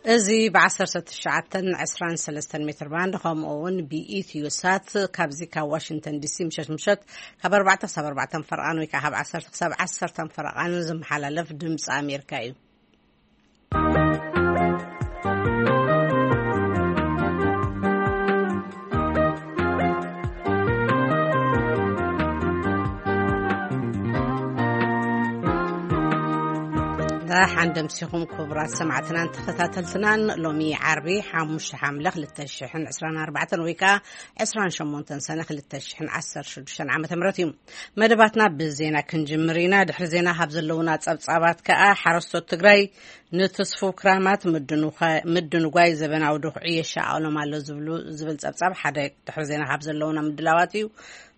እዚ ብ19 23 ሜትር ባንድ፣ ከምኡ እውን ብኢትዮ ሳት፣ ካብዚ ካብ ዋሽንግተን ዲሲ ምሸት ምሸት ካብ ኣርባዕተ ክሳብ ኣርባዕተ ፈረቓን ወይ ከዓ ካብ ዓሰርተ ክሳብ ዓሰርተ ፈረቓን ዝመሓላለፍ ድምፂ ኣሜሪካ እዩ። ደሓን ደምሲኹም ክቡራት ሰማዕትናን ተኸታተልትናን። ሎሚ ዓርቢ ሓሙሽተ ሓምለ ክልተ ሽሕን ዕስራን ኣርባዕተን ወይ ከዓ ዕስራን ሸሞንተን ሰነ ክልተ ሽሕን ዓሰርተ ሽዱሽተን ዓመተ ምህረት እዩ። መደባትና ብዜና ክንጅምር ኢና። ድሕሪ ዜና ካብ ዘለውና ጸብጻባት ከኣ፣ ሓረስቶት ትግራይ ንትስፉው ክራማት ምድንኳ-፣ ምድንጓይ ዘበናዊ ድኹዒ የሻቐሎም ኣሎ ዝብሉ፣ ዝብል ጸብጻብ ሓደ ድሕሪ ዜና ካብ ዘለውና ምድላዋት እዩ።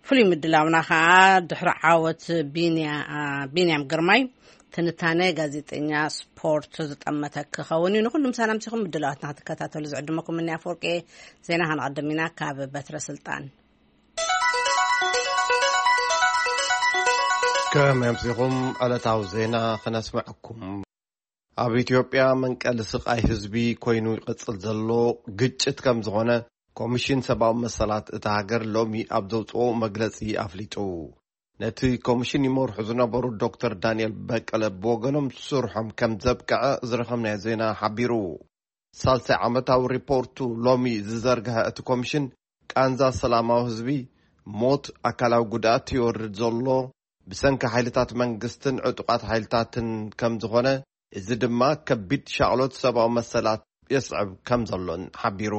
ፍሉይ ምድላውና ከኣ ድሕሪ ዓወት ቢንያ-፣ ቢንያም ግርማይ ትንታነ ጋዜጠኛ ስፖርት ዝጠመተ ክኸውን እዩ። ንኹሉ ምሳና ምሲኹም ምድላዋትና ክትከታተሉ ዝዕድመኩም እኒ ኣፈወርቂ። ዜና ከነቐድም ኢና ካብ በትረ ስልጣን። ከመይ ኣምሲኹም? ዕለታዊ ዜና ክነስምዐኩም። ኣብ ኢትዮጵያ መንቀሊ ስቓይ ህዝቢ ኮይኑ ይቕጽል ዘሎ ግጭት ከም ዝኾነ ኮሚሽን ሰብኣዊ መሰላት እታ ሃገር ሎሚ ኣብ ዘውጽኦ መግለጺ ኣፍሊጡ። ነቲ ኮሚሽን ይመርሑ ዝነበሩ ዶክተር ዳንኤል በቀለ ብወገኖም ስርሖም ከም ዘብቅዐ ዝረኸብናዮ ዜና ሓቢሩ። ሳልሳይ ዓመታዊ ሪፖርቱ ሎሚ ዝዘርግሐ እቲ ኮሚሽን፣ ቃንዛ ሰላማዊ ህዝቢ፣ ሞት፣ ኣካላዊ ጉድኣት ይወርድ ዘሎ ብሰንኪ ሓይልታት መንግስትን ዕጡቓት ሓይልታትን ከም ዝኾነ፣ እዚ ድማ ከቢድ ሻቕሎት ሰብኣዊ መሰላት የስዕብ ከም ዘሎን ሓቢሩ።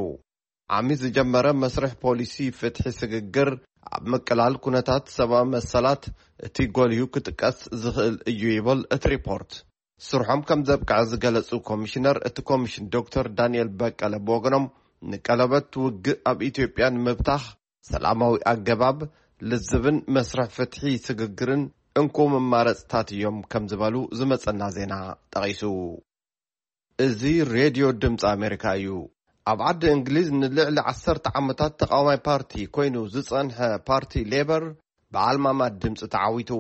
ዓሚ ዝጀመረ መስርሕ ፖሊሲ ፍትሒ ስግግር ኣብ ምቅላል ኩነታት ሰብኣዊ መሰላት እቲ ጎሊሁ ክጥቀስ ዝኽእል እዩ ይብል እቲ ሪፖርት። ስርሖም ከም ዘብቅዐ ዝገለጹ ኮሚሽነር እቲ ኮሚሽን ዶክተር ዳንኤል በቀለ ብወገኖም፣ ንቀለበት ውግእ ኣብ ኢትዮጵያ ንምብታኽ ሰላማዊ ኣገባብ፣ ልዝብን መስርሕ ፍትሒ ስግግርን እንኮ መማረጽታት እዮም ከም ዝበሉ ዝመጸና ዜና ጠቒሱ። እዚ ሬድዮ ድምፂ ኣሜሪካ እዩ። ኣብ ዓዲ እንግሊዝ ንልዕሊ ዓሰርተ ዓመታት ተቃዋማይ ፓርቲ ኮይኑ ዝጸንሐ ፓርቲ ሌበር ብዓልማማ ድምፂ ተዓዊቱ።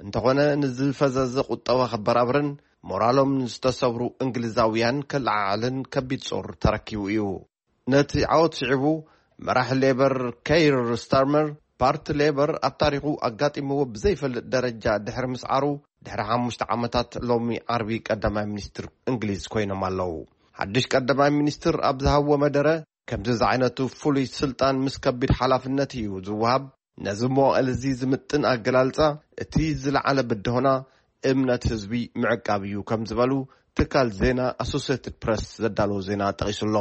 እንተኾነ፣ ንዝፈዘዘ ቁጠባ ከበራብርን ሞራሎም ንዝተሰብሩ እንግሊዛውያን ከለዓዕልን ከቢድ ጾር ተረኪቡ እዩ። ነቲ ዓወት ስዒቡ፣ መራሒ ሌበር ከይር ስታርመር፣ ፓርቲ ሌበር ኣብ ታሪኹ ኣጋጢምዎ ብዘይፈልጥ ደረጃ ድሕሪ ምስዓሩ፣ ድሕሪ ሓሙሽተ ዓመታት ሎሚ ዓርቢ ቀዳማይ ሚኒስትር እንግሊዝ ኮይኖም ኣለዉ። ሓድሽ ቀዳማይ ሚኒስትር ኣብ ዝሃብዎ መደረ፣ ከምዚ ዝዓይነቱ ፍሉይ ስልጣን ምስ ከቢድ ሓላፍነት እዩ ዝወሃብ። ነዚ መዋእል እዚ ዝምጥን ኣገላልጻ፣ እቲ ዝለዓለ ብድሆና እምነት ህዝቢ ምዕቃብ እዩ ከም ዝበሉ ትካል ዜና ኣሶሴትድ ፕረስ ዘዳለዎ ዜና ጠቒሱ ኣሎ።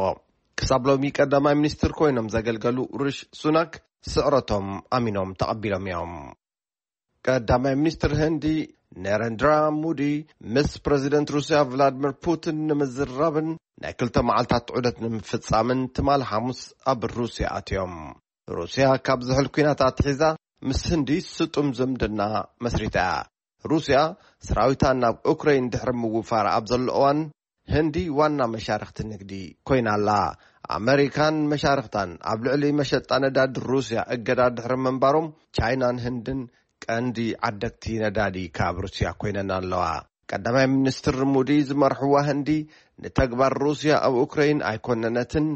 ክሳብ ሎሚ ቀዳማይ ሚኒስትር ኮይኖም ዘገልገሉ ሪሽ ሱናክ ስዕረቶም ኣሚኖም ተቐቢሎም እዮም። ቀዳማይ ሚኒስትር ህንዲ ነረንድራ ሙዲ ምስ ፕረዚደንት ሩስያ ቭላድሚር ፑቲን ንምዝራብን ናይ ክልተ መዓልታት ዑደት ንምፍጻምን ትማል ሓሙስ ኣብ ሩስያ ኣትዮም። ሩስያ ካብ ዝሕል ኲናት ኣትሒዛ ምስ ህንዲ ስጡም ዝምድና መስሪታ እያ። ሩስያ ሰራዊታ ናብ ኡክረይን ድሕሪ ምውፋር ኣብ ዘሎ እዋን፣ ህንዲ ዋና መሻርኽቲ ንግዲ ኮይና ኣላ። ኣመሪካን መሻርኽታን ኣብ ልዕሊ መሸጣ ነዳዲ ሩስያ እገዳ ድሕሪ ምንባሮም፣ ቻይናን ህንድን ቀንዲ ዓደግቲ ነዳዲ ካብ ሩስያ ኮይነን ኣለዋ። ቀዳማይ ሚኒስትር ሙዲ ዝመርሕዋ ህንዲ፣ ንተግባር ሩስያ ኣብ ኡክረይን ኣይኮነነትን፣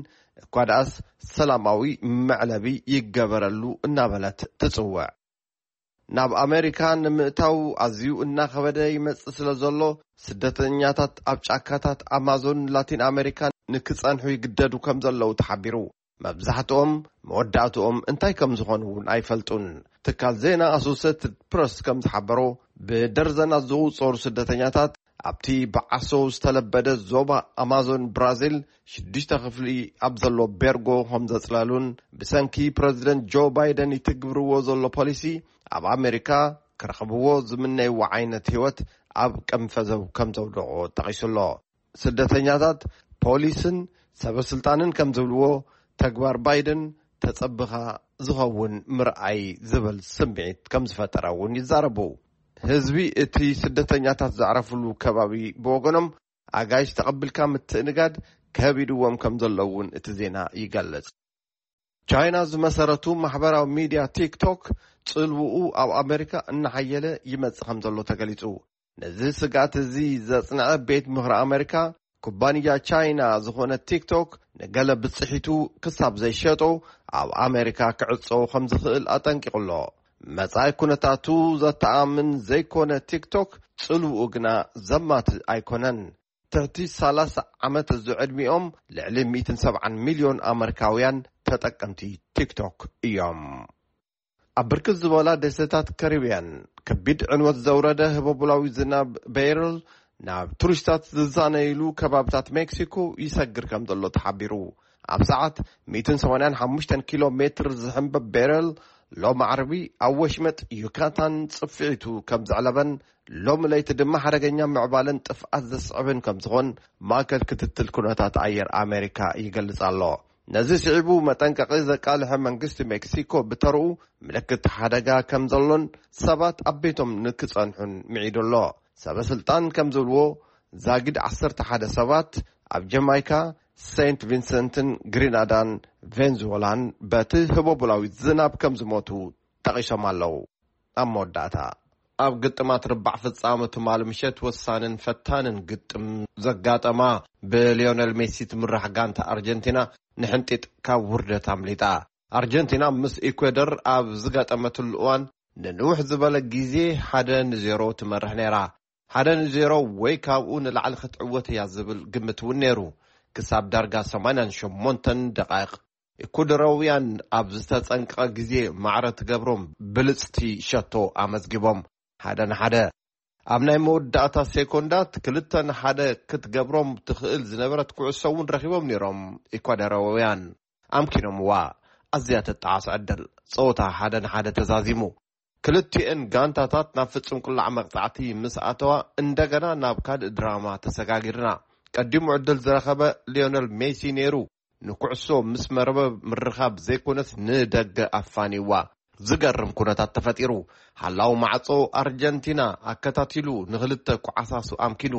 እኳ ደኣስ ሰላማዊ መዕለቢ ይገበረሉ እናበለት ትጽውዕ። ናብ ኣመሪካ ንምእታው ኣዝዩ እናኸበደ ይመጽእ ስለ ዘሎ፣ ስደተኛታት ኣብ ጫካታት ኣማዞን ላቲን ኣመሪካ ንክጸንሑ ይግደዱ ከም ዘለዉ ተሓቢሩ። መብዛሕትኦም መወዳእትኦም እንታይ ከም ዝኾኑ እውን ኣይፈልጡን። ትካል ዜና ኣሶሴትድ ፕረስ ከም ዝሓበሮ፣ ብደርዘናት ዝቑጸሩ ስደተኛታት ኣብቲ ብዓሶ ዝተለበደ ዞባ ኣማዞን ብራዚል ሽዱሽተ ክፍሊ ኣብ ዘሎ ቤርጎ ከም ዘጽለሉን፣ ብሰንኪ ፕረዚደንት ጆ ባይደን ይትግብርዎ ዘሎ ፖሊሲ፣ ኣብ ኣሜሪካ ክረኽብዎ ዝምነይዎ ዓይነት ህይወት ኣብ ቅንፈዘው ከም ዘውደቖ ጠቒሱ ኣሎ። ስደተኛታት ፖሊስን ሰበ ስልጣንን ከም ዝብልዎ፣ ተግባር ባይደን ተጸብኻ ዝኸውን ምርኣይ ዝብል ስምዒት ከም ዝፈጠረ እውን ይዛረቡ። ህዝቢ እቲ ስደተኛታት ዘዕረፍሉ ከባቢ ብወገኖም፣ ኣጋይሽ ተቐቢልካ ምትእንጋድ ከቢድዎም ከም ዘሎ እውን እቲ ዜና ይገልጽ። ቻይና ዝመሰረቱ ማሕበራዊ ሚድያ ቲክቶክ፣ ጽልውኡ ኣብ ኣሜሪካ እናሓየለ ይመጽእ ከም ዘሎ ተገሊጹ። ነዚ ስግኣት እዚ ዘጽንዐ ቤት ምኽሪ ኣሜሪካ፣ ኩባንያ ቻይና ዝኾነ ቲክቶክ ንገለ ብጽሒቱ ክሳብ ዘይሸጦ ኣብ ኣሜሪካ ክዕጾ ከም ዝኽእል ኣጠንቂቑ ኣሎ። መጻኢ ኩነታቱ ዘተኣምን ዘይኮነ ቲክቶክ ጽልውኡ ግና ዘማት ኣይኮነን። ትሕቲ ሰላሳ ዓመት ዝዕድሚኦም ልዕሊ ሚእትን ሰብዓን ሚልዮን ኣመሪካውያን ተጠቀምቲ ቲክቶክ እዮም። ኣብ ብርክት ዝበላ ደሴታት ካሪብያን ከቢድ ዕንወት ዘውረደ ህቦቡላዊ ዝናብ ቤርል ናብ ቱሪስታት ዝዛነይሉ ከባብታት ሜክሲኮ ይሰግር ከም ዘሎ ተሓቢሩ። ኣብ ሰዓት ሚእትን ሰማንያን ሓሙሽተን ኪሎ ሜትር ዝሕንበብ ቤረል ሎም ዓርቢ ኣብ ወሽመጥ ዩካታን ጽፍዒቱ ከም ዘዕለበን ሎም ለይቲ ድማ ሓደገኛ ምዕባለን ጥፍኣት ዘስዕብን ከም ዝኾን ማእከል ክትትል ኩነታት ኣየር ኣሜሪካ ይገልጽ ኣሎ። ነዚ ስዒቡ መጠንቀቒ ዘቃልሐ መንግስቲ ሜክሲኮ ብተርኡ ምልክት ሓደጋ ከም ዘሎን ሰባት ኣብ ቤቶም ንክጸንሑን ምዒዱ ኣሎ። ሰበ ስልጣን ከም ዝብልዎ ዛጊድ ዓሰርተ ሓደ ሰባት ኣብ ጀማይካ፣ ሴንት ቪንሰንትን ግሪናዳን ቬንዙዌላን በቲ ህቦቡላዊ ዝናብ ከም ዝሞቱ ጠቒሶም ኣለዉ። ኣብ መወዳእታ ኣብ ግጥማት ርባዕ ፍጻመ ትማል ምሸት ወሳንን ፈታንን ግጥም ዘጋጠማ ብሊዮነል ሜሲ ትምራሕ ጋንታ ኣርጀንቲና ንሕንጢጥ ካብ ውርደት ኣምሊጣ። ኣርጀንቲና ምስ ኢኳዶር ኣብ ዝጋጠመትሉ እዋን ንንውሕ ዝበለ ግዜ ሓደ ንዜሮ ትመርሕ ነይራ። ሓደ ንዜሮ ወይ ካብኡ ንላዕሊ ክትዕወት እያ ዝብል ግምት እውን ነይሩ። ክሳብ ዳርጋ ሰማንያን ሸሞንተን ደቓይቕ ኢኳዶራውያን ኣብ ዝተጸንቀቐ ግዜ ማዕረ ትገብሮም ብልጽቲ ሸቶ ኣመዝጊቦም። ሓደ ንሓደ ኣብ ናይ መወዳእታ ሴኮንዳት ክልተ ንሓደ ክትገብሮም ትኽእል ዝነበረት ኩዕሶ እውን ረኺቦም ነይሮም ኢኳዶራውያን። ኣምኪኖምዋ። ኣዝያ ተጣዓስ ዕድል። ጸወታ ሓደ ንሓደ ተዛዚሙ። ክልቲኤን ጋንታታት ናብ ፍጹም ቁላዕ መቕጻዕቲ ምስ ኣተዋ እንደገና ናብ ካልእ ድራማ ተሰጋጊርና። ቀዲሙ ዕድል ዝረኸበ ሊዮነል ሜሲ ነይሩ። ንኩዕሶ ምስ መርበብ ምርኻብ ዘይኮነስ ንደገ ኣፋኒዋ። ዝገርም ኩነታት ተፈጢሩ። ሓላው ማዕጾ ኣርጀንቲና ኣከታቲሉ ንኽልተ ኳዓሳሱ ኣምኪኑ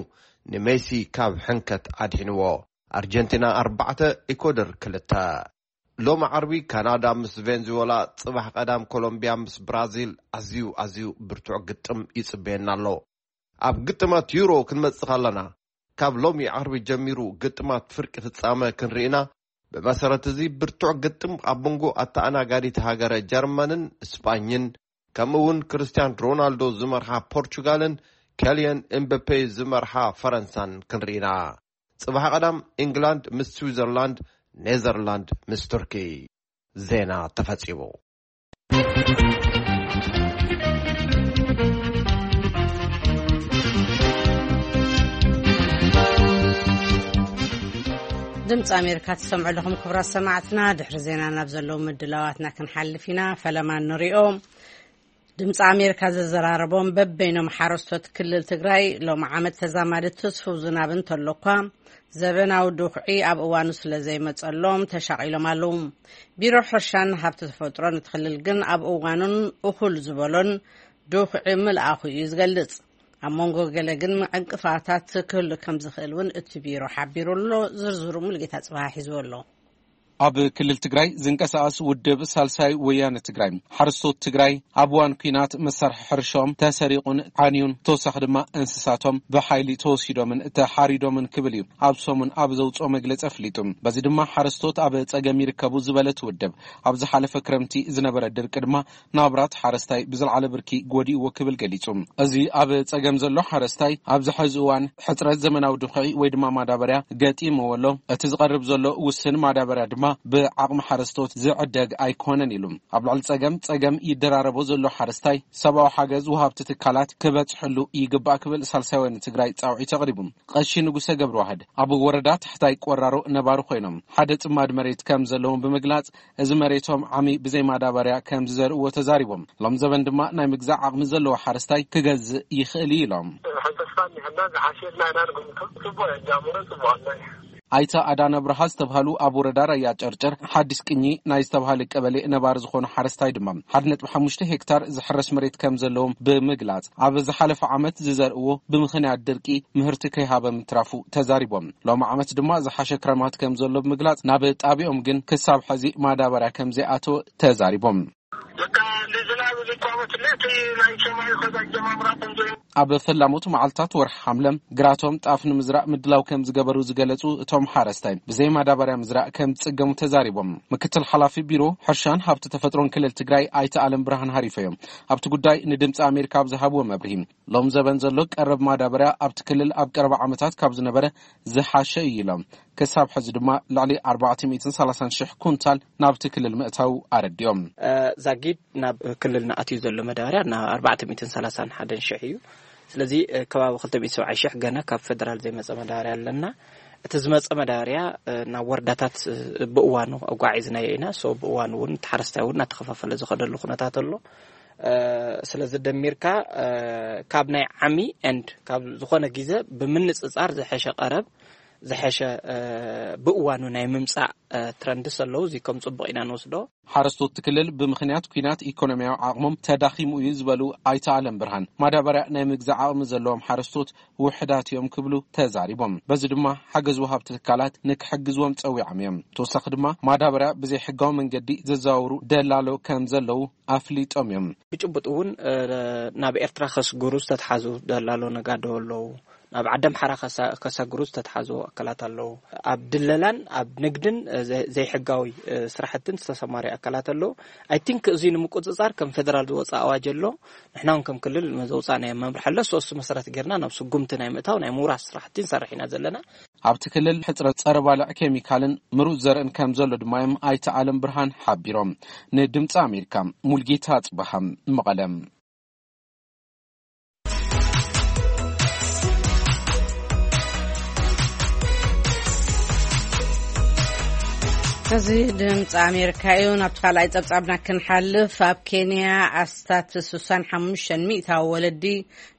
ንሜሲ ካብ ሕንከት ኣድሒንዎ። ኣርጀንቲና ኣርባዕተ፣ ኢኳዶር ክልተ። ሎም ዓርቢ ካናዳ ምስ ቬንዙዌላ፣ ጽባሕ ቀዳም ኮሎምቢያ ምስ ብራዚል ኣዝዩ ኣዝዩ ብርቱዕ ግጥም ይጽበየና ኣሎ። ኣብ ግጥማት ዩሮ ክንመጽእ ከለና ካብ ሎሚ ዓርቢ ጀሚሩ ግጥማት ፍርቂ ፍጻመ ክንርኢና። ብመሰረት እዚ ብርቱዕ ግጥም ኣብ መንጎ ኣተኣናጋዲት ሃገረ ጀርመንን ስጳኝን ከምኡ እውን ክርስቲያን ሮናልዶ ዝመርሓ ፖርቹጋልን ከልየን ኤምበፔ ዝመርሓ ፈረንሳን ክንርኢና። ጽባሕ ቀዳም ኢንግላንድ ምስ ስዊዘርላንድ፣ ኔዘርላንድ ምስ ቱርኪ። ዜና ተፈጺሙ። ድምፂ ኣሜሪካ ትሰምዑ ኣለኹም ክቡራት ሰማዕትና። ድሕሪ ዜና ናብ ዘለዉ ምድላዋትና ክንሓልፍ ኢና። ፈለማ ንሪኦ። ድምፂ ኣሜሪካ ዘዘራረቦም በበይኖም ሓረስቶት ክልል ትግራይ ሎም ዓመት ተዛማዲ ትስፉው ዝናብ እንተሎ እኳ ዘበናዊ ድኹዒ ኣብ እዋኑ ስለ ዘይመፀሎም ተሻቒሎም ኣለዉ። ቢሮ ሕርሻን ሃብቲ ተፈጥሮን እቲ ክልል ግን ኣብ እዋኑን እኹል ዝበሎን ድኹዒ ምልኣኹ እዩ ዝገልፅ። ኣብ መንጎ ገለ ግን ዕንቅፋታት ክህሉ ከም ዝኽእል እውን እቲ ቢሮ ሓቢሩ ኣሎ። ዝርዝሩ ሙሉጌታ ጽባህ ሒዝዎ ኣሎ። ኣብ ክልል ትግራይ ዝንቀሳቐስ ውድብ ሳልሳይ ወያነ ትግራይ፣ ሓረስቶት ትግራይ ኣብ እዋን ኲናት መሳርሒ ሕርሻኦም ተሰሪቑን ዓንዩን፣ ተወሳኺ ድማ እንስሳቶም ብሓይሊ ተወሲዶምን ተሓሪዶምን ክብል እዩ ኣብ ሰሙን ኣብ ዘውፅኦ መግለፂ ኣፍሊጡ። በዚ ድማ ሓረስቶት ኣብ ፀገም ይርከቡ ዝበለት ውድብ፣ ኣብ ዝሓለፈ ክረምቲ ዝነበረ ድርቂ ድማ ናብራት ሓረስታይ ብዝለዓለ ብርኪ ጎዲእዎ ክብል ገሊጹ። እዚ ኣብ ጸገም ዘሎ ሓረስታይ ኣብዚ ሕዚ እዋን ሕጽረት ዘመናዊ ድኹዒ ወይ ድማ ማዳበርያ ገጢምዎ ኣሎ። እቲ ዝቐርብ ዘሎ ውስን ማዳበርያ ድማ ብዓቕሚ ሓረስቶት ዝዕደግ ኣይኮነን ኢሉ። ኣብ ልዕሊ ጸገም ጸገም ይደራረቦ ዘሎ ሓረስታይ ሰብኣዊ ሓገዝ ወሃብቲ ትካላት ክበጽሕሉ ይግባእ ክብል ሳልሳይ ወያነ ትግራይ ጻውዒት ኣቕሪቡ። ቀሺ ንጉሰ ገብረዋህድ ኣብ ወረዳ ታሕታይ ቆራሮ ነባሪ ኮይኖም ሓደ ጽማድ መሬት ከም ዘለዎም ብምግላጽ እዚ መሬቶም ዓሚ ብዘይ ማዳበርያ ከም ዝዘርእዎ ተዛሪቦም። ሎም ዘበን ድማ ናይ ምግዛእ ዓቕሚ ዘለዎ ሓረስታይ ክገዝእ ይኽእል እዩ ኢሎም። ሕተስፋ እኒሀና ዝሓሸልና ኢና ንግምቶ። ጽቡቕ ጃምሮ ጽቡቕ ኣሎ። ኣይተ ኣዳነ ብርሃ ዝተብሃሉ ኣብ ወረዳ ራያ ጨርጨር ሓዲስ ቅኚ ናይ ዝተብሃለ ቀበሌ ነባሪ ዝኾኑ ሓረስታይ ድማ ሓደ ነጥቢ ሓሙሽተ ሄክታር ዝሕረስ መሬት ከም ዘለዎም ብምግላጽ ኣብ ዝሓለፈ ዓመት ዝዘርእዎ ብምኽንያት ድርቂ ምህርቲ ከይሃበ ምትራፉ ተዛሪቦም። ሎም ዓመት ድማ ዝሓሸ ክረማት ከም ዘሎ ብምግላጽ ናብ ጣቢኦም ግን ክሳብ ሕዚ ማዳበርያ ከም ዘይኣተወ ተዛሪቦም። በቃ ንዝናብ ዝቋመት እቲ ናይ ሰማይ ከዛ ጀማምራ ቆንጆ እዩ። ኣብ ፈላሞት መዓልታት ወርሒ ሓምለ ግራቶም ጣፍ ንምዝራእ ምድላው ከም ዝገበሩ ዝገለጹ እቶም ሓረስታይ፣ ብዘይ ማዳበርያ ምዝራእ ከም ዝጽገሙ ተዛሪቦም። ምክትል ሓላፊ ቢሮ ሕርሻን ሃብቲ ተፈጥሮን ክልል ትግራይ ኣይተ ኣለም ብርሃን ሃሪፈዮም ኣብቲ ጉዳይ ንድምፂ ኣሜሪካ ኣብ ዝሃብዎ መብርሂ፣ ሎም ዘበን ዘሎ ቀረብ ማዳበርያ ኣብቲ ክልል ኣብ ቀረባ ዓመታት ካብ ዝነበረ ዝሓሸ እዩ ኢሎም። ክሳብ ሕዚ ድማ ልዕሊ ኣርባዕተ ሚእትን ሰላሳን ሽሕ ኩንታል ናብቲ ክልል ምእታው ኣረዲኦም። እ፣ ዛጊድ ናብ ክልልና ኣትዩ ዘሎ መዳበርያ ናብ ኣርባዕተ ሚእትን ሰላሳን ሓደን ሽሕ እዩ። ስለዚ፣ እ፣ ከባቢ ክልተ ሚእቲ ሰብዓይ ሽሕ ገና ካብ ፌደራል ዘይመጸ መዳበርያ ኣለና። እቲ ዝመጸ መዳበርያ፣ እ፣ ናብ ወረዳታት፣ እ፣ ብእዋኑ ኣጓዒዝናዮ ኢና። ሶ ብእዋኑ እውን እቲ ሓረስታይ እውን እናተኸፋፈለ ዝኸደሉ ኩነታት ኣሎ። እ፣ ስለዚ ደሚርካ፣ እ፣ ካብ ናይ ዓሚ ኤንድ ካብ ዝኾነ ግዜ ብምንጽጻር ዝሐሸ ቀረብ፣ ዝሐሸ፣ እ፣ ብእዋኑ ናይ ምምጻእ፣ እ፣ ትረንድስ ኣለዉ። እዚ ከም ጽቡቕ ኢና ንወስዶ። ሓረስቶት ክልል ብምኽንያት ኲናት ኢኮኖሚያዊ ዓቕሞም ተዳኺሙ እዩ ዝበሉ ኣይተ ኣለም ብርሃን፣ ማዳበርያ ናይ ምግዛእ ዓቕሚ ዘለዎም ሓረስቶት ውሕዳት እዮም ክብሉ ተዛሪቦም። በዚ ድማ ሓገዝ ወሃብቲ ትካላት ንክሕግዝዎም ጸዊዖም እዮም። ተወሳኺ ድማ ማዳበርያ ብዘይሕጋዊ መንገዲ ዘዘዋውሩ ደላሎ ከም ዘለዉ ኣፍሊጦም እዮም። ብጭቡጥ እውን፣ እ፣ ናብ ኤርትራ ከስግሩ ዝተትሓዙ ደላሎ ነጋዶ ኣለዉ። ናብ ዓደምሓራ ከሳ-፣ ከሰግሩ ዝተትሓዙ ኣካላት ኣለዉ። ኣብ ድለላን ኣብ ንግድን፣ እ፣ ዘ-፣ ዘይሕጋዊ፣ እ፣ ስራሕትን ዝተሰማረዩ ኣካላት ኣለዉ። ኣይ ቲንክ እዚ ንምቁጽጻር ከም ፌደራል ዝወፀ ኣዋጅ ኣሎ። ንሕና እውን ከም ክልል ዘውፃእናዮ መምርሒ ኣሎ። ሶስቱ መሰረት ጌርና ናብ ስጉምቲ ናይ ምእታው ናይ ምውራስ ስራሕቲ ንሰርሕ ኢና ዘለና። ኣብቲ ክልል ሕፅረት ፀረ ባልዕ ኬሚካልን ምሩፅ ዘርእን ከም ዘሎ ድማ እዮም ኣይተ ኣለም ብርሃን ሓቢሮም። ንድምፂ ኣሜሪካ ሙልጌታ ኣፅበሃ፣ መቐለ። እዚ ድምፂ ኣሜሪካ እዩ። ናብቲ ካልኣይ ጸብጻብና ክንሓልፍ፣ ኣብ ኬንያ ኣስታት ስሳን ሓሙሽተን ሚእታዊ ወለዲ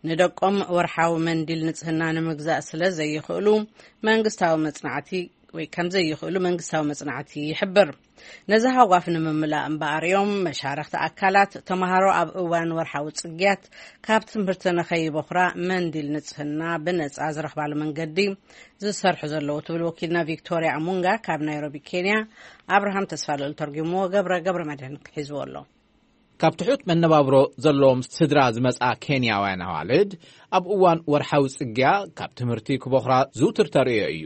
ንደቆም ወርሓዊ መንዲል ንጽህና ንምግዛእ ስለ ዘይኽእሉ መንግስታዊ መጽናዕቲ ወይ ከም ዘይኽእሉ መንግስታዊ መጽናዕቲ ይሕብር። ነዚ ሃጓፍ ንምምላእ እምበኣር እዮም መሻርኽቲ ኣካላት ተምሃሮ ኣብ እዋን ወርሓዊ ጽግያት ካብ ትምህርቲ ንኸይበኹራ መንዲል ንጽህና ብነጻ ዝረኽባሉ መንገዲ ዝሰርሑ ዘለዉ ትብል ወኪልና ቪክቶርያ ኣሙንጋ ካብ ናይሮቢ ኬንያ። ኣብርሃም ተስፋልኡል ተርጉምዎ፣ ገብረ ገብረ መድህን ሒዝዎ ኣሎ። ካብ ትሑት መነባብሮ ዘለዎም ስድራ ዝመጻ ኬንያውያን ኣዋልድ ኣብ እዋን ወርሓዊ ጽግያ ካብ ትምህርቲ ክበኹራ ዝውትር ተርእዮ እዩ።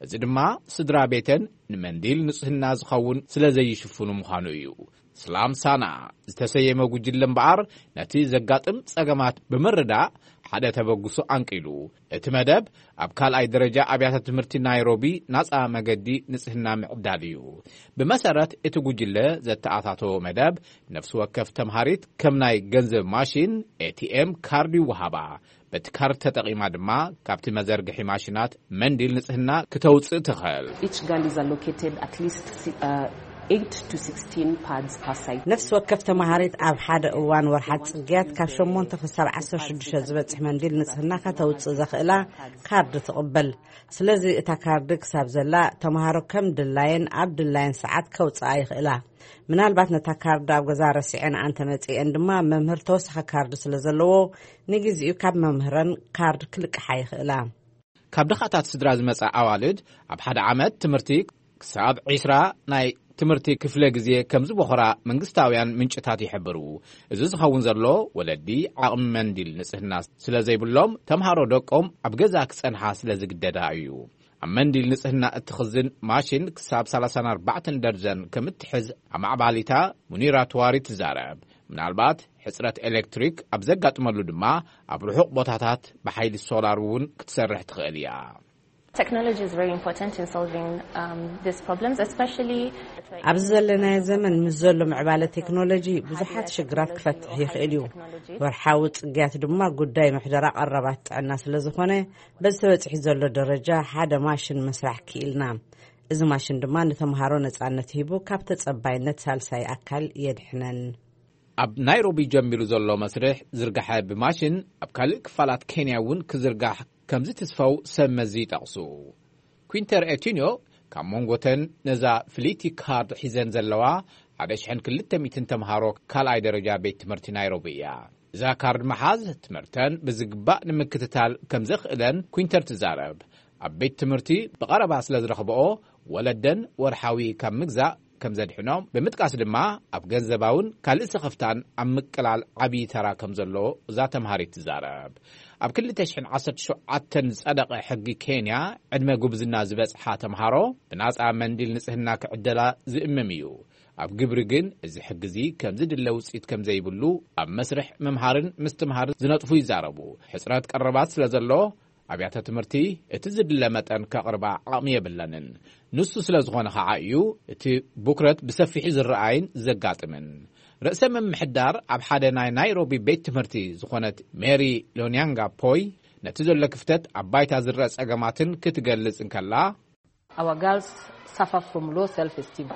እዚ ድማ ስድራ ቤተን ንመንዲል ንጽህና ዝኸውን ስለ ዘይሽፍኑ ምዃኑ እዩ። ስላም ሳና ዝተሰየመ ጉጅለ እምበኣር ነቲ ዘጋጥም ጸገማት ብምርዳእ ሓደ ተበግሶ ኣንቂሉ። እቲ መደብ ኣብ ካልኣይ ደረጃ ኣብያተ ትምህርቲ ናይሮቢ ናጻ መገዲ ንጽህና ምዕዳል እዩ። ብመሰረት እቲ ጉጅለ ዘተኣታተዎ መደብ፣ ነፍሲ ወከፍ ተምሃሪት ከም ናይ ገንዘብ ማሽን፣ ኤ ቲ ኤም ካርድ ይወሃባ። በቲ ካርድ ተጠቒማ ድማ ካብቲ መዘርግሒ ማሽናት መንዲል ንጽህና ክተውጽእ ትኽእል። Each girl is allocated at least, uh, eight to sixteen pads per side. ነፍሲ ወከፍ ተምሃሪት ኣብ ሓደ እዋን ወርሓት ጽግያት ካብ ሸሞንተ ክሳብ ዓሰርተ ሽዱሽተ ዝበጽሕ መንዲል ንጽህና ከተውጽእ ዘኽእላ ካርድ ትቕበል። ስለዚ እታ ካርድ ክሳብ ዘላ፣ ተምሃሮ ከም ድላየን ኣብ ድላየን ሰዓት ከውጽኣ ይኽእላ። ምናልባት ነታ ካርድ ኣብ ገዛ ረሲዐን ኣንተመጺኤን ድማ፣ መምህር ተወሳኺ ካርድ ስለ ዘለዎ፣ ንግዚኡ ካብ መምህረን ካርድ ክልቅሓ ይኽእላ። ካብ ድኻታት ስድራ ዝመጻ ኣዋልድ ኣብ ሓደ ዓመት ትምህርቲ ክሳብ ዒስራ ናይ ትምህርቲ ክፍለ ግዜ ከም ዝበኹራ መንግስታውያን ምንጭታት ይሕብሩ። እዚ ዝኸውን ዘሎ፣ ወለዲ ዓቕሚ መንዲል ንጽህና ስለ ዘይብሎም፣ ተምሃሮ ደቆም ኣብ ገዛ ክጸንሓ ስለ ዝግደዳ እዩ። ኣብ መንዲል ንጽህና እትኽዝን ማሽን ክሳብ ሰላሳን ኣርባዕተን ደርዘን ከም እትሕዝ ኣማዕባሊታ ሙኒራ ትዋሪ ትዛረብ። ምናልባት ሕጽረት ኤሌክትሪክ ኣብ ዘጋጥመሉ ድማ ኣብ ርሑቕ ቦታታት ብሓይሊ ሶላር እውን ክትሰርሕ ትኽእል እያ። Technology is very important in solving, um, these problems, especially ኣብዚ ዘለናዮ ዘመን ምስ ዘሎ ምዕባለ ቴክኖሎጂ ብዙሓት ሽግራት ክፈትሕ ይኽእል እዩ። ወርሓዊ ጽግያት ድማ ጉዳይ ምሕደራ ቀረባት ጥዕና ስለ ዝኾነ፣ በዚ ተበጺሑ ዘሎ ደረጃ ሓደ ማሽን ምስራሕ ክኢልና። እዚ ማሽን ድማ ንተምሃሮ ነጻነት ሂቡ ካብ ተጸባይነት ሳልሳይ ኣካል የድሕነን። ኣብ ናይሮቢ ጀሚሩ ዘሎ መስርሕ ዝርግሐ ብማሽን ኣብ ካልእ ክፋላት ኬንያ እውን ክዝርጋሕ ከም ዝትስፈው ሰብ መዚ ይጠቕሱ። ኩንተር ኤቲንዮ ካብ መንጎተን ነዛ ፍልይቲ ካርድ ሒዘን ዘለዋ ሓደ ሽሕን ክልተ ሚእትን ተምሃሮ ካልኣይ ደረጃ ቤት ትምህርቲ ናይሮቢ እያ። እዛ ካርድ ምሓዝ ትምህርተን ብዝግባእ ንምክትታል ከም ዘኽእለን ኩንተር ትዛረብ። ኣብ ቤት ትምህርቲ ብቐረባ ስለ ዝረኽብኦ፣ ወለደን ወርሓዊ ካብ ምግዛእ ከም ዘድሕኖም ብምጥቃስ ድማ ኣብ ገንዘባውን ካልእ ስኽፍታን ኣብ ምቅላል ዓብዪ ተራ ከም ዘሎ እዛ ተምሃሪት ትዛረብ። ኣብ ክልተ ሽሕን ዓሰርተ ሸውዓተን ዝጸደቐ ሕጊ ኬንያ ዕድመ ጉብዝና ዝበጽሓ ተምሃሮ ብናጻ መንዲል ንጽህና ክዕደላ ዝእምም እዩ። ኣብ ግብሪ ግን እዚ ሕጊ እዚ ከም ዝድለ ውጽኢት ከም ዘይብሉ ኣብ መስርሕ ምምሃርን ምስትምሃርን ዝነጥፉ ይዛረቡ። ሕጽረት ቀረባት ስለ ዘሎ ኣብያተ ትምህርቲ እቲ ዝድለ መጠን ከቕርባ ዓቕሚ የብለንን። ንሱ ስለ ዝኾነ ኸዓ እዩ እቲ ብኩረት ብሰፊሑ ዝረኣይን ዘጋጥምን። ርእሰ ምምሕዳር ኣብ ሓደ ናይ ናይሮቢ ቤት ትምህርቲ ዝኾነት ሜሪ ሎኒያንጋ ፖይ ነቲ ዘሎ ክፍተት ኣብ ባይታ ዝረአ ጸገማትን ክትገልጽ እንከላ፣ Our girls suffer from low self-esteem.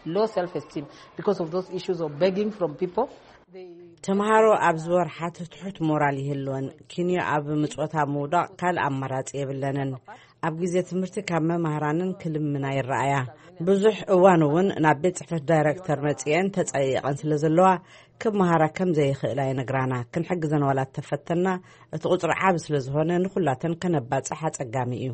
Low self-esteem because of those issues of begging from people. They ተምሃሮ ኣብዚ ወርሓት ትሑት ሞራል ይህልወን። ኪንዮ ኣብ ምጽወታ ምውዳቕ ካልእ ኣማራጺ የብለንን። ኣብ ግዜ ትምህርቲ ካብ መማህራንን ክልምና ይረኣያ። ብዙሕ እዋን እውን ናብ ቤት ጽሕፈት ዳይረክተር መጺአን ተጸይቐን ስለ ዘለዋ ክመሃራ ከም ዘይኽእላ ይነግራና። ክንሕግዘን ዋላ ተፈተና እቲ ቁጽሪ ዓቢ ስለ ዝኾነ ንኹላተን ከነባጽሕ ኣጸጋሚ እዩ።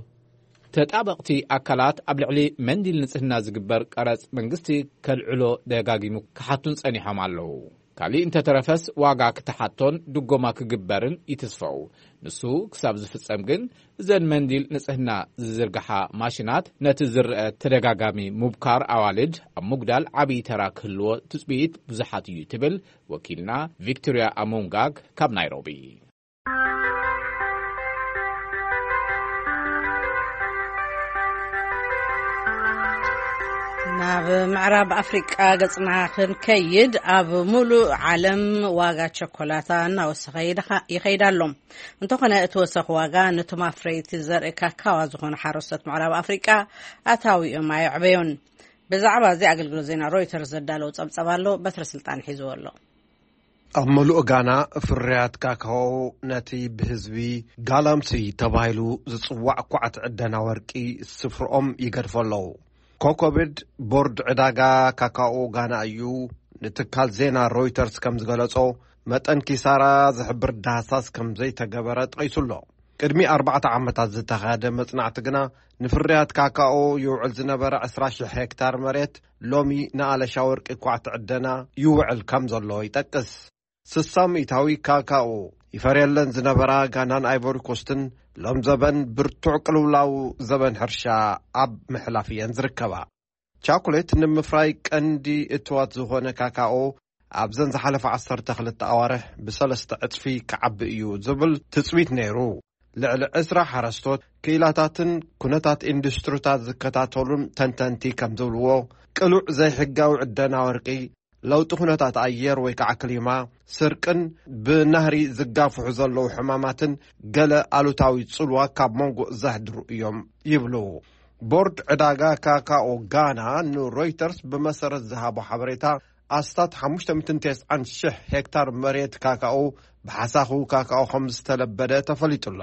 ተጣበቕቲ ኣካላት ኣብ ልዕሊ መንዲል ንጽህና ዝግበር ቀረጽ መንግስቲ ከልዕሎ ደጋጊሙ ክሓቱን ጸኒሖም ኣለዉ። ካልእ እንተተረፈስ ዋጋ ክትሓቶን ድጎማ ክግበርን ይትስፈው። ንሱ ክሳብ ዝፍጸም ግን እዘን መንዲል ንጽህና ዝዝርግሓ ማሽናት ነቲ ዝርአ ተደጋጋሚ ምብካር ኣዋልድ ኣብ ምጉዳል ዓብዪ ተራ ክህልዎ ትጽቢት ብዙሓት እዩ ትብል ወኪልና ቪክቶርያ ኣሞንጋግ ካብ ናይሮቢ። ናብ ምዕራብ ኣፍሪቃ ገጽና ክንከይድ፣ ኣብ ሙሉእ ዓለም ዋጋ ቸኮላታ እናወሰኸ ይኸይድ ኣሎ። እንተኾነ እቲ ወሰኽ ዋጋ ነቶም ኣፍረይቲ ዘርኢ ካካዋ ዝኾኑ ሓረስቶት ምዕራብ ኣፍሪቃ ኣታዊኦም ኣየዕበዮን። ብዛዕባ እዚ ኣገልግሎት ዜና ሮይተርስ ዘዳለው ጸብጸብ ኣሎ። በትረ ስልጣን ሒዝዎ ኣሎ። ኣብ መሉእ ጋና ፍርያት ካካኦ ነቲ ብህዝቢ ጋላምሲ ተባሂሉ ዝጽዋዕ ኳዕቲ ዕደና ወርቂ ስፍርኦም ይገድፎ ኣለዉ። ኮኮቤድ ቦርድ ዕዳጋ ካካኦ ጋና እዩ ንትካል ዜና ሮይተርስ ከም ዝገለጾ፣ መጠን ኪሳራ ዝሕብር ዳህሳስ ከም ዘይተገበረ ጠቒሱ ኣሎ። ቅድሚ ኣርባዕተ ዓመታት ዝተኻየደ መጽናዕቲ ግና ንፍርያት ካካኦ ይውዕል ዝነበረ ዕስራ ሽሕ ሄክታር መሬት ሎሚ ንኣለሻ ወርቂ ኳዕቲ ዕደና ይውዕል ከም ዘሎ ይጠቅስ። ስሳ ሚእታዊ ካካኦ ይፈርየለን ዝነበራ ጋናን ኣይቮሪኮስትን ሎም ዘበን ብርቱዕ ቅልውላው ዘበን ሕርሻ ኣብ ምሕላፍ እየን ዝርከባ። ቻኮሌት ንምፍራይ ቀንዲ እትዋት ዝኾነ ካካኦ ኣብዘን ዝሓለፈ ዓሰርተ ክልተ ኣዋርሕ ብሰለስተ ዕጽፊ ክዓቢ እዩ ዝብል ትጽቢት ነይሩ። ልዕሊ ዕስራ ሓረስቶት፣ ክኢላታትን ኩነታት ኢንዱስትሪታት ዝከታተሉን ተንተንቲ ከም ዝብልዎ፣ ቅሉዕ ዘይሕጋዊ ዕደና ወርቂ፣ ለውጢ ኩነታት ኣየር ወይ ከዓ ክሊማ፣ ስርቅን ብናህሪ ዝጋፍሑ ዘለዉ ሕማማትን ገለ ኣሉታዊ ጽልዋ ካብ መንጎ ዘሕድሩ እዮም ይብሉ። ቦርድ ዕዳጋ ካካኦ ጋና ንሮይተርስ ብመሰረት ዝሃቦ ሓበሬታ፣ ኣስታት ሓሙሽተ ሚእትን ተስዓን ሽሕ ሄክታር መሬት ካካኦ ብሓሳኹ ካካኦ ከም ዝተለበደ ተፈሊጡ ኣሎ።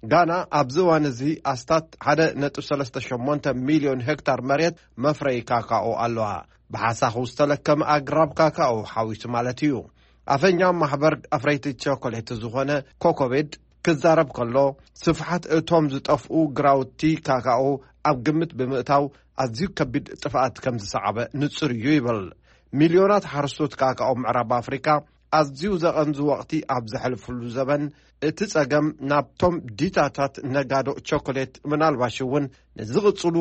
ጋና ኣብዚ እዋን እዚ ኣስታት ሓደ ነጥቢ ሰለስተ ሸሞንተ ሚልዮን ሄክታር መሬት መፍረይ ካካኦ ኣለዋ። ብሓሳኹ ዝተለከመ ኣግራብ ካካኦ ሓዊሱ ማለት እዩ። ኣፈኛ ማሕበር ኣፍረይቲ ቸኮሌት ዝኾነ ኮኮቤድ ክዛረብ ከሎ፣ ስፍሓት እቶም ዝጠፍኡ ግራውቲ ካካኦ ኣብ ግምት ብምእታው፣ ኣዝዩ ከቢድ ጥፍኣት ከም ዝሰዓበ ንጹር እዩ ይብል። ሚልዮናት ሓረስቶት ካካኦ ምዕራብ ኣፍሪካ ኣዝዩ ዘቐንዙ ወቕቲ ኣብ ዘሕልፍሉ ዘበን፣ እቲ ጸገም ናብቶም ዲታታት ነጋዶ ቸኮሌት፣ ምናልባሽ እውን ንዝቕጽሉ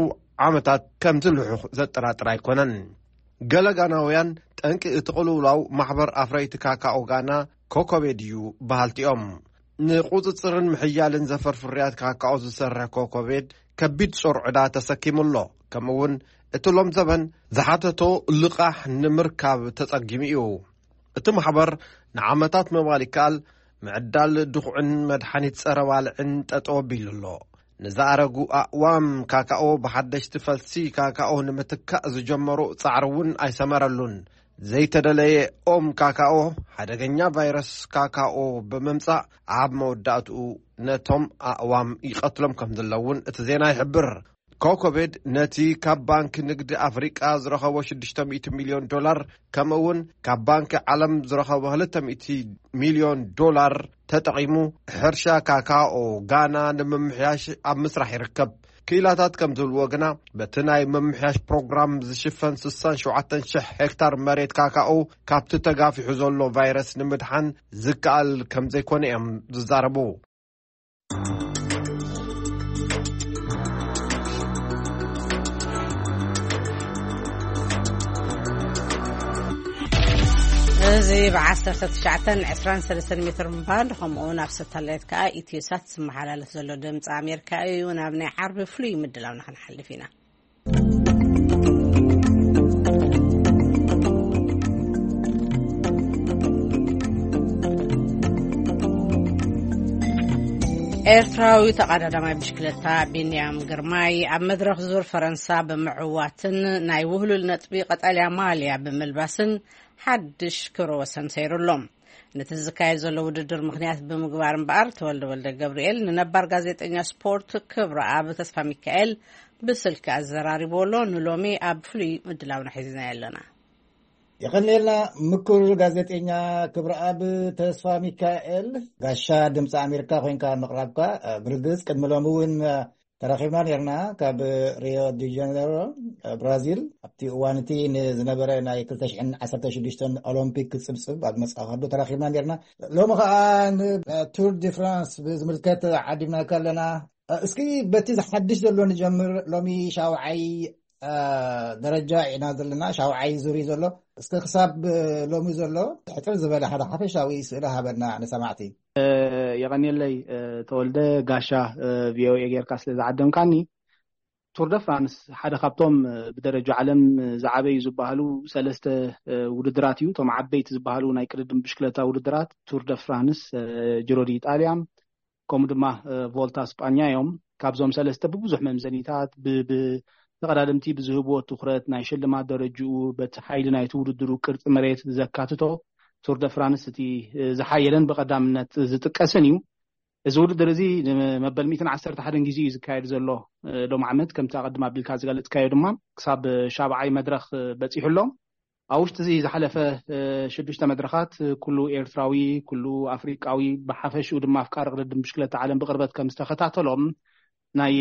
ዓመታት ከም ዝልሑኽ ዘጠራጥር ኣይኮነን። ገለ ጋናውያን፣ ጠንቂ እቲ ቅልውላው ማሕበር ኣፍረይቲ ካካኦ ጋና ኮኮቤድ እዩ በሃልቲ እዮም። ንቁጽጽርን ምሕያልን ዘፈር ፍርያት ካካኦ ዝሰርሕ ኮኮቤድ ከቢድ ጾር ዕዳ ተሰኪሙ ኣሎ። ከምኡ እውን እቲ ሎም ዘበን ዝሓተቶ ልቓሕ ንምርካብ ተጸጊሙ እዩ። እቲ ማሕበር ንዓመታት ምባል ይከኣል፣ ምዕዳል ድኹዕን መድሓኒት ጸረ ባልዕን ጠጠው ኣቢሉ ኣሎ። ንዝኣረጉ ኣእዋም ካካኦ ብሓደሽቲ ፈልሲ ካካኦ ንምትካእ ዝጀመሮ ጻዕሪ እውን ኣይሰመረሉን። ዘይተደለየ ኦም ካካኦ ሓደገኛ ቫይረስ ካካኦ ብምምጻእ፣ ኣብ መወዳእትኡ ነቶም ኣእዋም ይቐትሎም ከም ዘለውን እቲ ዜና ይሕብር። ኮኮቤድ ነቲ ካብ ባንክ ንግዲ ኣፍሪቃ ዝረኸቦ ሽዱሽተ ሚእቲ ሚልዮን ዶላር፣ ከምኡ እውን ካብ ባንክ ዓለም ዝረኸቦ ክልተ ሚእቲ ሚልዮን ዶላር ተጠቒሙ፣ ሕርሻ ካካኦ ጋና ንምምሕያሽ ኣብ ምስራሕ ይርከብ። ክኢላታት ከም ዝብልዎ ግና፣ በቲ ናይ ምምሕያሽ ፕሮግራም ዝሽፈን ስሳን ሸውዓተን ሽሕ ሄክታር መሬት ካካኡ ካብቲ ተጋፊሑ ዘሎ ቫይረስ ንምድሓን ዝከኣል ከም ዘይኮነ እዮም ዝዛረቡ። እዚ ብ19 23 ሜትር ባንድ፣ ከምኡ እውን ኣብ ሳተላይት ከዓ ኢትዮሳት ዝመሓላለፍ ዘሎ ድምፂ ኣሜሪካ እዩ። ናብ ናይ ዓርቢ ፍሉይ ምድላውና ክንሓልፍ ኢና። ኤርትራዊ ተቐዳዳማይ ብሽክለታ ቢንያም ግርማይ ኣብ መድረኽ ዙር ፈረንሳ ብምዕዋትን ናይ ውህሉል ነጥቢ ቀጠልያ ማልያ ብምልባስን ሓድሽ ክብረ ወሰን ሰይሩ ኣሎ። ነቲ ዝካየድ ዘሎ ውድድር ምኽንያት ብምግባር እምበኣር፣ ተወልደ ወልደ ገብርኤል ንነባር ጋዜጠኛ ስፖርት ክብረኣብ ተስፋ ሚካኤል ብስልኪ ኣዘራሪቦ ኣሎ። ንሎሚ ኣብ ፍሉይ ምድላውና ሒዝናዮ ኣለና። የቐንየልና ምኩር ጋዜጠኛ ክብረኣብ ተስፋ ሚካኤል፣ ጋሻ ድምፂ ኣሜሪካ ኮይንካ ምቕራብካ፣ ብርግፅ ቅድሚ ሎሚ እውን ተራኺብና ነርና። ካብ ሪዮ ዲ ጀነሮ፣ ብራዚል፣ ኣብቲ እዋን እቲ ንዝነበረ ናይ ክልተ ሽሕን ዓሰርተ ሽዱሽተን ኦሎምፒክ ክፅብፅብ ኣብ መፅኣ ከሎ ተራኺብና ነርና። ሎሚ ከዓ ንቱር ዲ ፍራንስ ብዝምልከት ዓዲምናካ ኣለና። እስኪ በቲ ዝሓድሽ ዘሎ ንጀምር። ሎሚ ሻውዓይ ደረጃ ኢና ዘለና፣ ሻውዓይ ዙር እዩ ዘሎ። እስከ ክሳብ ሎሚ ዘሎ ሕፅር ዝበለ ሓደ ሓፈሻዊ ስእሊ ሃበና ንሰማዕቲ። የቐንየለይ ተወልደ፣ ጋሻ ቪኦኤ ጌርካ ስለ ዝዓደምካኒ። ቱር ደ ፍራንስ ሓደ ካብቶም ብደረጃ ዓለም ዝዓበዩ ዝበሃሉ ሰለስተ ውድድራት እዩ። እቶም ዓበይቲ ዝበሃሉ ናይ ቅድድም ብሽክለታ ውድድራት ቱር ደ ፍራንስ፣ ጅሮ ዲ ኢጣልያ፣ ከምኡ ድማ ቮልታ ስጳኛ እዮም። ካብዞም ሰለስተ ብብዙሕ መምዘኒታት፣ ብተቐዳደምቲ ብዝህብዎ ትኹረት፣ ናይ ሽልማት ደረጅኡ፣ በቲ ሓይሊ ናይቲ ውድድሩ ቅርፂ መሬት ዘካትቶ፣ ቱር ደ ፍራንስ እቲ ዝሓየለን ብቐዳምነት ዝጥቀስን እዩ። እዚ ውድድር እዚ ንመበል ሚእትን ዓሰርተ ሓደን ግዜ እዩ ዝካየድ ዘሎ። ሎም ዓመት ከምቲ ኣቐድም ኣቢልካ ዝገለፅካዮ ድማ ክሳብ ሻብዓይ መድረኽ በፂሑ ኣሎ። ኣብ ውሽጢ እዚ ዝሓለፈ ሽዱሽተ መድረኻት ኩሉ ኤርትራዊ፣ ኩሉ ኣፍሪቃዊ፣ ብሓፈሽኡ ድማ ኣፍቃሪ ቅድድም ብሽክለታ ዓለም ብቕርበት ከም ዝተኸታተሎም ናይ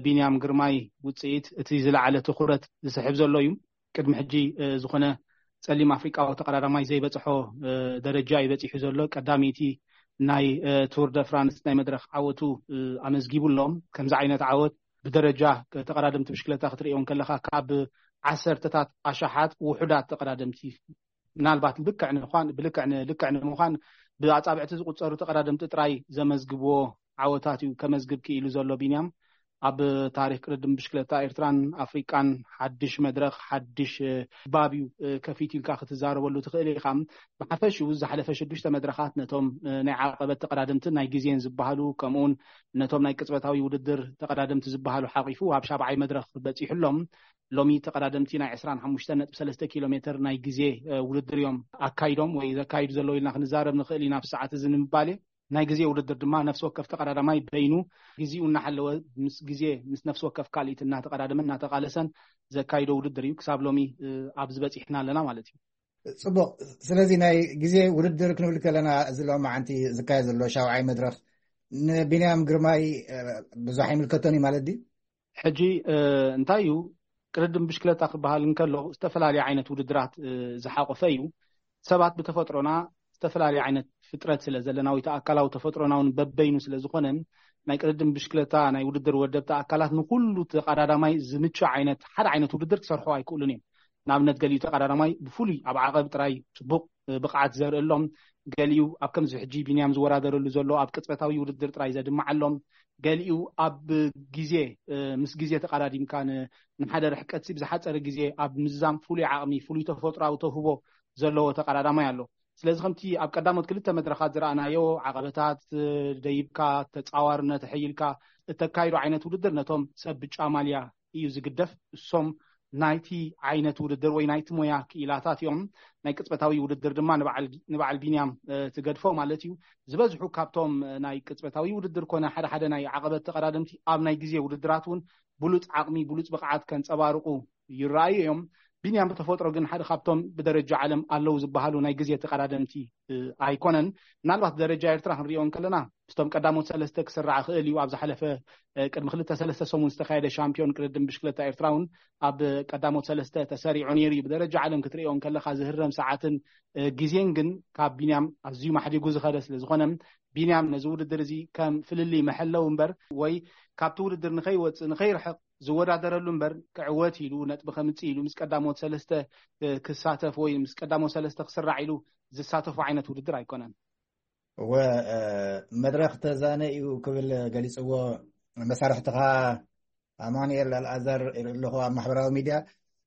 ቢንያም ግርማይ ውፅኢት እቲ ዝለዓለ ትኹረት ዝስሕብ ዘሎ እዩ። ቅድሚ ሕጂ ዝኾነ ጸሊም ኣፍሪቃዊ ተቐዳዳማይ ዘይበፅሖ ደረጃ እዩ በፂሑ ዘሎ። ቀዳመይቲ ናይ ቱር ደ ፍራንስ ናይ መድረኽ ዓወቱ ኣመዝጊቡ ኣሎ። ከምዚ ዓይነት ዓወት ብደረጃ ተቐዳደምቲ ብሽክለታ ክትርእዮ ከለኻ፣ ካብ ዓሰርተታት ኣሽሓት ውሑዳት ተቐዳደምቲ፣ ምናልባት ብልክዕ ንምዃን፣ ብልክዕ ን-፣ ልክዕ ንምዃን ብኣጻብዕቲ ዝቑጸሩ ተቐዳደምቲ ጥራይ ዘመዝግብዎ ዓወታት እዩ ከመዝግብ ክኢሉ ዘሎ ቢንያም። ኣብ ታሪኽ ቅድድም ብሽክለታ ኤርትራን ኣፍሪቃን ሓድሽ መድረኽ፣ ሓድሽ ባብ እዩ ከፊቱ ኢልካ ክትዛረበሉ ትኽእል ኢኻ። ብሓፈሽኡ ዝሓለፈ ሽዱሽተ መድረኻት ነቶም ናይ ዓቐበት ተቐዳደምትን ናይ ግዜን ዝበሃሉ፣ ከምኡውን ነቶም ናይ ቅጽበታዊ ውድድር ተቐዳደምቲ ዝበሃሉ ሓቒፉ ኣብ ሻብዓይ መድረኽ በጺሑ ኣሎ። ሎሚ ተቐዳደምቲ ናይ ዕስራን ሓሙሽተን ነጥቢ ሰለስተ ኪሎ ሜትር ናይ ግዜ ውድድር እዮም ኣካይዶም ወይ ዘካይዱ ዘለዉ ኢልና ክንዛረብ ንኽእል ኢና። ኣብ ሰዓት እዚ ንምባል ናይ ግዜ ውድድር ድማ ነፍሲ ወከፍ ተቐዳዳማይ በይኑ ግዜኡ እናሓለወ ምስ ግዜ፣ ምስ ነፍሲ ወከፍ ካልኢት እናተቐዳደመን እናተቓለሰን ዘካይዶ ውድድር እዩ። ክሳብ ሎሚ ኣብዚ በፂሕና ኣለና ማለት እዩ። ፅቡቕ። ስለዚ ናይ ግዜ ውድድር ክንብል ከለና፣ እዚ ሎማዓንቲ ዝካየድ ዘሎ ሻውዓይ መድረኽ ንቢንያም ግርማይ ብዙሕ ኣይምልከቶን እዩ ማለት ድዩ? ሕጂ እንታይ እዩ፣ ቅድድም ብሽክለታ ክበሃል እንከሎ ዝተፈላለዩ ዓይነት ውድድራት ዝሓቆፈ እዩ። ሰባት ብተፈጥሮና ዝተፈላለዩ ዓይነት ፍጥረት ስለ ዘለና፣ ወይ ኣካላዊ ተፈጥሮና እውን በበይኑ ስለ ዝኾነ፣ ናይ ቅድድም ብሽክለታ ናይ ውድድር ወደብቲ ኣካላት ንኩሉ ተቐዳዳማይ ዝምቹ ዓይነት ሓደ ዓይነት ውድድር ክሰርሖ ኣይክእሉን እዮም። ንኣብነት፣ ገሊኡ ተቐዳዳማይ ብፍሉይ ኣብ ዓቐብ ጥራይ ጽቡቕ ብቕዓት ዘርኢ ኣሎም፣ ገሊኡ ኣብ ከምዚ ሕጂ ቢንያም ዝወዳደረሉ ዘሎ ኣብ ቅጽበታዊ ውድድር ጥራይ ዘድምዓ ኣሎም፣ ገሊኡ ኣብ ግዜ፣ ምስ ግዜ ተቐዳዲምካ ን-፣ ንሓደ ርሕቀት ሲ ብዝሓጸረ ግዜ ኣብ ምዝዛም ፍሉይ ዓቕሚ፣ ፍሉይ ተፈጥሮኣዊ ተውህቦ ዘለዎ ተቐዳዳማይ ኣሎ። ስለዚ ከምቲ ኣብ ቀዳሞት ክልተ መድረኻት ዝረኣናዮ፣ ዓቐበታት ደይብካ፣ ተጻዋርነት ኣሐይልካ እተካይዶ ዓይነት ውድድር፣ ነቶም ሰብ ብጫ ማልያ እዩ ዝግደፍ። እሶም ናይቲ ዓይነት ውድድር ወይ ናይቲ ሞያ ክኢላታት እዮም። ናይ ቅጽበታዊ ውድድር ድማ ንበዓል፣ ንበዓል ቢንያም ትገድፎ ማለት እዩ። ዝበዝሑ ካብቶም ናይ ቅጽበታዊ ውድድር ኮነ ሓደ ሓደ ናይ ዓቐበት ተቐዳደምቲ ኣብ ናይ ግዜ ውድድራት እውን ብሉጽ ዓቕሚ፣ ብሉጽ ብቕዓት ከንጸባርቑ ይረኣዩ እዮም። ቢንያም ብተፈጥሮ ግን ሓደ ካብቶም ብደረጃ ዓለም ኣለዉ ዝበሃሉ ናይ ግዜ ተቐዳደምቲ ኣይኮነን። ምናልባት ደረጃ ኤርትራ ክንሪኦ እንከለና ምስቶም ቀዳሞት ሰለስተ ክስራዕ ክእል እዩ። ኣብ ዝሓለፈ ቅድሚ ክልተ ሰለስተ ሰሙን ዝተካየደ ሻምፒዮን ቅድድም ብሽክለታ ኤርትራ እውን ኣብ ቀዳሞት ሰለስተ ተሰሪዑ ነይሩ እዩ። ብደረጃ ዓለም ክትሪኦ እንከለካ ዝህረም ሰዓትን ግዜን ግን ካብ ቢንያም ኣዝዩ ማሕዲጉ ዝኸደ ስለ ዝኾነ፣ ቢንያም ነዚ ውድድር እዚ ከም ፍልልይ መሐለዊ እምበር ወይ ካብቲ ውድድር ንኸይወፅእ ንኸይርሕቕ ዝወዳደረሉ እምበር ክዕወት ኢሉ ነጥቢ ከምፅእ ኢሉ ምስ ቀዳሞት ሰለስተ ክሳተፍ ወይ ምስ ቀዳሞት ሰለስተ ክስራዕ ኢሉ ዝሳተፉ ዓይነት ውድድር ኣይኮነን። እወ፣ መድረኽ ተዛነ እዩ ክብል ገሊፅዎ መሳርሕትኻ ኣማኑኤል ኣልኣዛር ኣለኹ ኣብ ማሕበራዊ ሚድያ።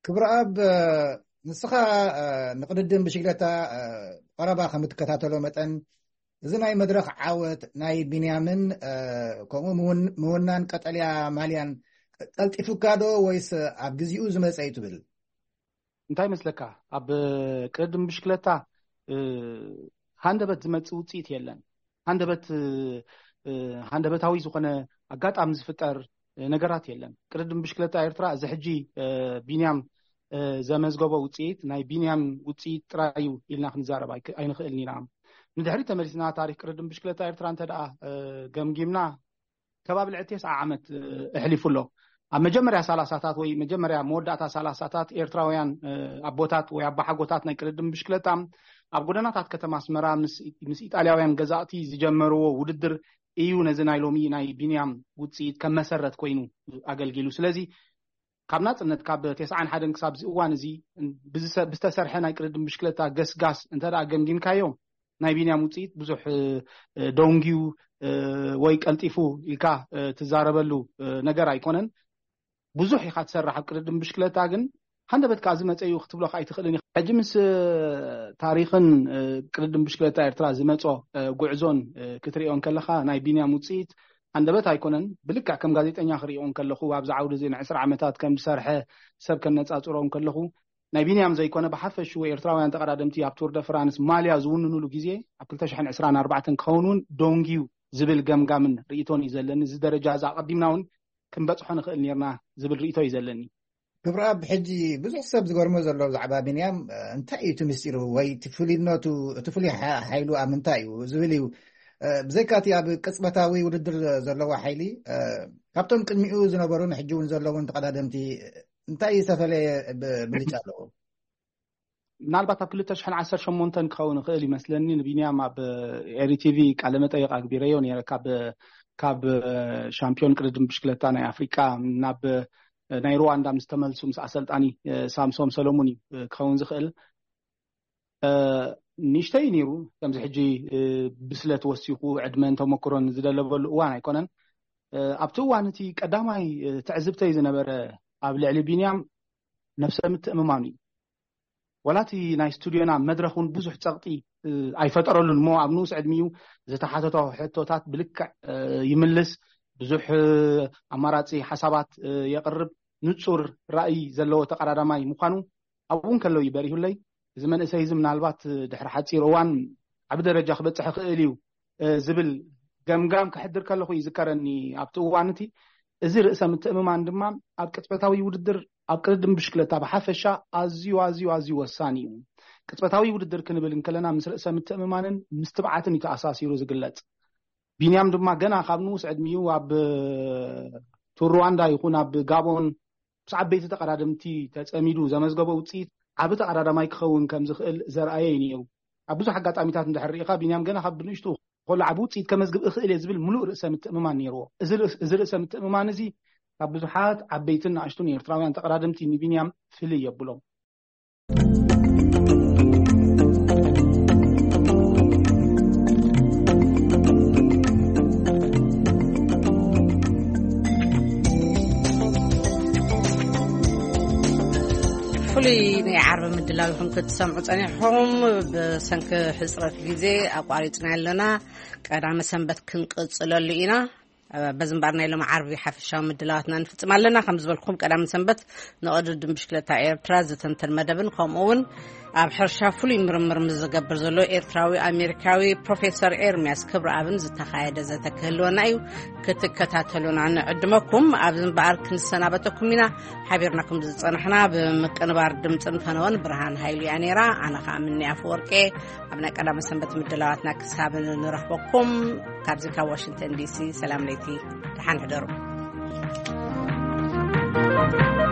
ክብረኣብ፣ ንስኻ ንቅድድም ብሽግለታ ቀረባ ከም እትከታተሎ መጠን፣ እዚ ናይ መድረኽ ዓወት ናይ ቢንያምን ከምኡ ምውናን ቀጠልያ ማልያን ቀልጢፉካ ዶ ወይስ ኣብ ግዜኡ ዝመፀ እዩ ትብል? እንታይ ይመስለካ? ኣብ ቅድድም ብሽክለታ ሃንደበት ዝመፅእ ውፅኢት የለን። ሃንደበት ሃንደበታዊ ዝኾነ ኣጋጣሚ ዝፍጠር ነገራት የለን። ቅድድም ብሽክለታ ኤርትራ እዚ ሕጂ ቢንያም ዘመዝገቦ ውፅኢት ናይ ቢንያም ውፅኢት ጥራይ እዩ ኢልና ክንዛረብ ኣይንኽእልን ኢና። ንድሕሪ ተመሊስና ታሪክ ቅድድም ብሽክለታ ኤርትራ እንተ ደኣ ገምጊምና ከባቢ ልዕሊ ተስዓ ዓመት ኣሕሊፉ ኣሎ። ኣብ መጀመርያ ሰላሳታት ወይ መጀመርያ መወዳእታ ሰላሳታት ኤርትራውያን ኣቦታት ወይ ኣባሓጎታት ናይ ቅድድም ብሽክለታ ኣብ ጎደናታት ከተማ ኣስመራ ምስ ኢጣልያውያን ገዛእቲ ዝጀመርዎ ውድድር እዩ ነዚ ናይ ሎሚ ናይ ቢንያም ውፅኢት ከም መሰረት ኮይኑ ኣገልጊሉ። ስለዚ ካብ ናፅነት ካብ ተስዓን ሓደን ክሳብ እዚ እዋን እዚ ብዝተሰርሐ ናይ ቅድድም ብሽክለታ ገስጋስ እንተ ገምጊምካዮ ናይ ቢንያም ውፅኢት ብዙሕ ደንጊዩ ወይ ቀልጢፉ ኢልካ ትዛረበሉ ነገር ኣይኮነን። ብዙሕ ኢኻ ትሰርሕ ኣብ ቅድድም ብሽክለታ፣ ግን ሃንደበት ከዓ ዝመፀ እዩ ክትብሎ ከዓ ኣይትኽእልን። ሕጂ ምስ ታሪኽን ቅድድም ብሽክለታ ኤርትራ ዝመፆ ጉዕዞን ክትሪኦ እንከለካ ናይ ቢንያም ውፅኢት ሃንደበት ኣይኮነን። ብልክዕ ከም ጋዜጠኛ ክሪኦ እንከለኹ ኣብዚ ዓውዲ እዚ ንዕስራ ዓመታት ከም ዝሰርሐ ሰብ ከነፃፅሮ እንከለኹ ናይ ቢንያም ዘይኮነ ብሓፈሽኡ ኤርትራውያን ተቐዳደምቲ ኣብ ቱር ደ ፍራንስ ማልያ ዝውንኑሉ ግዜ ኣብ ክልተ ሽሕን ዕስራን ኣርባዕተን ክኸውን እውን ደንጊዩ ዝብል ገምጋምን ርእይቶን እዩ ዘለኒ። እዚ ደረጃ እዚ ኣቐዲምና እውን ክንበፅሖ ንኽእል ነርና ዝብል ርእይቶ እዩ ዘለኒ። ክብረኣብ፣ ሕጂ ብዙሕ ሰብ ዝገርሞ ዘሎ ብዛዕባ ቢንያም እንታይ እዩ እቲ ምስጢሩ ወይ እቲ ፍሉይነቱ፣ እቲ ፍሉይ ሓይሉ ኣብ ምንታይ እዩ ዝብል እዩ። ብዘይካ እቲ ኣብ ቅፅበታዊ ውድድር ዘለዎ ሓይሊ፣ ካብቶም ቅድሚኡ ዝነበሩን ሕጂ እውን ዘለውን ተቐዳደምቲ እንታይ ዝተፈለየ ብልጫ ኣለዎ? ምናልባት ኣብ ክልተ ሽሕን ዓሰርተ ሸሞንተን ክኸውን ይኽእል ይመስለኒ ንቢንያም ኣብ ኤሪ ቲቪ ቃለ መጠይቕ ኣግቢረዮ ነይረ። ካብ ካብ ሻምፒዮን ቅድድም ብሽክለታ ናይ ኣፍሪቃ ናብ ናይ ሩዋንዳ ምስ ተመልሱ ምስ ኣሰልጣኒ ሳምሶም ሰለሙን እዩ ክኸውን ዝኽእል። ንእሽተይ ነይሩ ከምዚ ሕጂ ብስለት ወሲኹ ዕድመን ተመክሮን ዝደለበሉ እዋን ኣይኮነን። ኣብቲ እዋን እቲ ቀዳማይ ትዕዝብተይ ዝነበረ ኣብ ልዕሊ ቢንያም ነብሰ ምትእምማኑ እዩ። ወላ እቲ ናይ ስቱድዮና መድረኽ እውን ብዙሕ ፀቕጢ ኣይፈጠረሉን እሞ ኣብ ንኡስ ዕድሚኡ ዝተሓተቶ ሕቶታት ብልክዕ ይምልስ፣ ብዙሕ ኣማራፂ ሓሳባት የቕርብ፣ ንፁር ራእይ ዘለዎ ተቐዳዳማይ ምዃኑ ኣብኡ እንከሎ እዩ በሪሁለይ። እዚ መንእሰይ እዚ ምናልባት ድሕሪ ሓፂር እዋን ዓቢ ደረጃ ክበፅሕ ይኽእል እዩ ዝብል ገምጋም ክሕድር ከለኹ ይዝከረኒ። ኣብቲ እዋን እቲ እዚ ርእሰ ምትእምማን ድማ ኣብ ቅጽበታዊ ውድድር ኣብ ቅድድም ብሽክለታ ብሓፈሻ ኣዝዩ ኣዝዩ ኣዝዩ ወሳኒ እዩ። ቅጽበታዊ ውድድር ክንብል እንከለና ምስ ርእሰ ምትእምማንን ምስ ትብዓትን እዩ ተኣሳሲሩ ዝግለጽ። ቢንያም ድማ ገና ካብ ንኡስ ዕድሚኡ ኣብ ቱር ሩዋንዳ ይኹን ኣብ ጋቦን ምስ ዓበይቲ ተቐዳደምቲ ተጸሚዱ ዘመዝገቦ ውጽኢት ዓቢ ተቐዳዳማይ ክኸውን ከም ዝኽእል ዘርኣየ እዩ ነይሩ። ኣብ ብዙሕ ኣጋጣሚታት እንድሕር ርኢኻ ቢንያም ገና ካብ ብንእሽቱ ከሎ ዓቢ ውጽኢት ከመዝግብ እኽእል እየ ዝብል ምሉእ ርእሰ ምትእምማን ነይርዎ። እዚ ርእስ- እዚ ርእሰ ምትእምማን እዚ ካብ ብዙሓት ዓበይትን ንኣሽቱን ኤርትራውያን ተቐዳደምቲ ንቢንያም ፍልይ የብሎም። ፍሉይ ናይ ዓርቢ ምድላው ኢኹም ክትሰምዑ ጸኒሕኹም። ብሰንኪ ሕጽረት ግዜ ኣቋሪጽና ኣለና። ቀዳመ ሰንበት ክንቅጽለሉ ኢና። በዚ እምበኣር ናይ ሎሚ ዓርቢ ሓፈሻዊ ምድላዋትና ንፍጽም ኣለና። ከም ዝበልኩም ቀዳመ ሰንበት ንቕድድም ብሽክለታ ኤርትራ ዝተንተን መደብን ከምኡ እውን ኣብ ሕርሻ ፍሉይ ምርምር ምስ ዝገብር ዘሎ ኤርትራዊ ኣሜሪካዊ ፕሮፌሰር ኤርሚያስ ክብረኣብን ዝተኻየደ ዘተ ክህልወና እዩ። ክትከታተሉና ንዕድመኩም። ኣብዚ እምበኣር ክንሰናበተኩም ኢና። ሓቢርናኩም ዝጸናሕና ብምቅንባር ድምጽን ፈነወን ብርሃን ሃይሉ እያ ነይራ። ኣነ ኸኣ ምኒ ኣፈወርቄ። ኣብ ናይ ቀዳመ ሰንበት ምድላዋትና ክሳብ ንረኽበኩም ካብዚ ካብ ዋሽንግተን ዲሲ ሰላም ለይቲ፣ ደሓን ሕደሩ።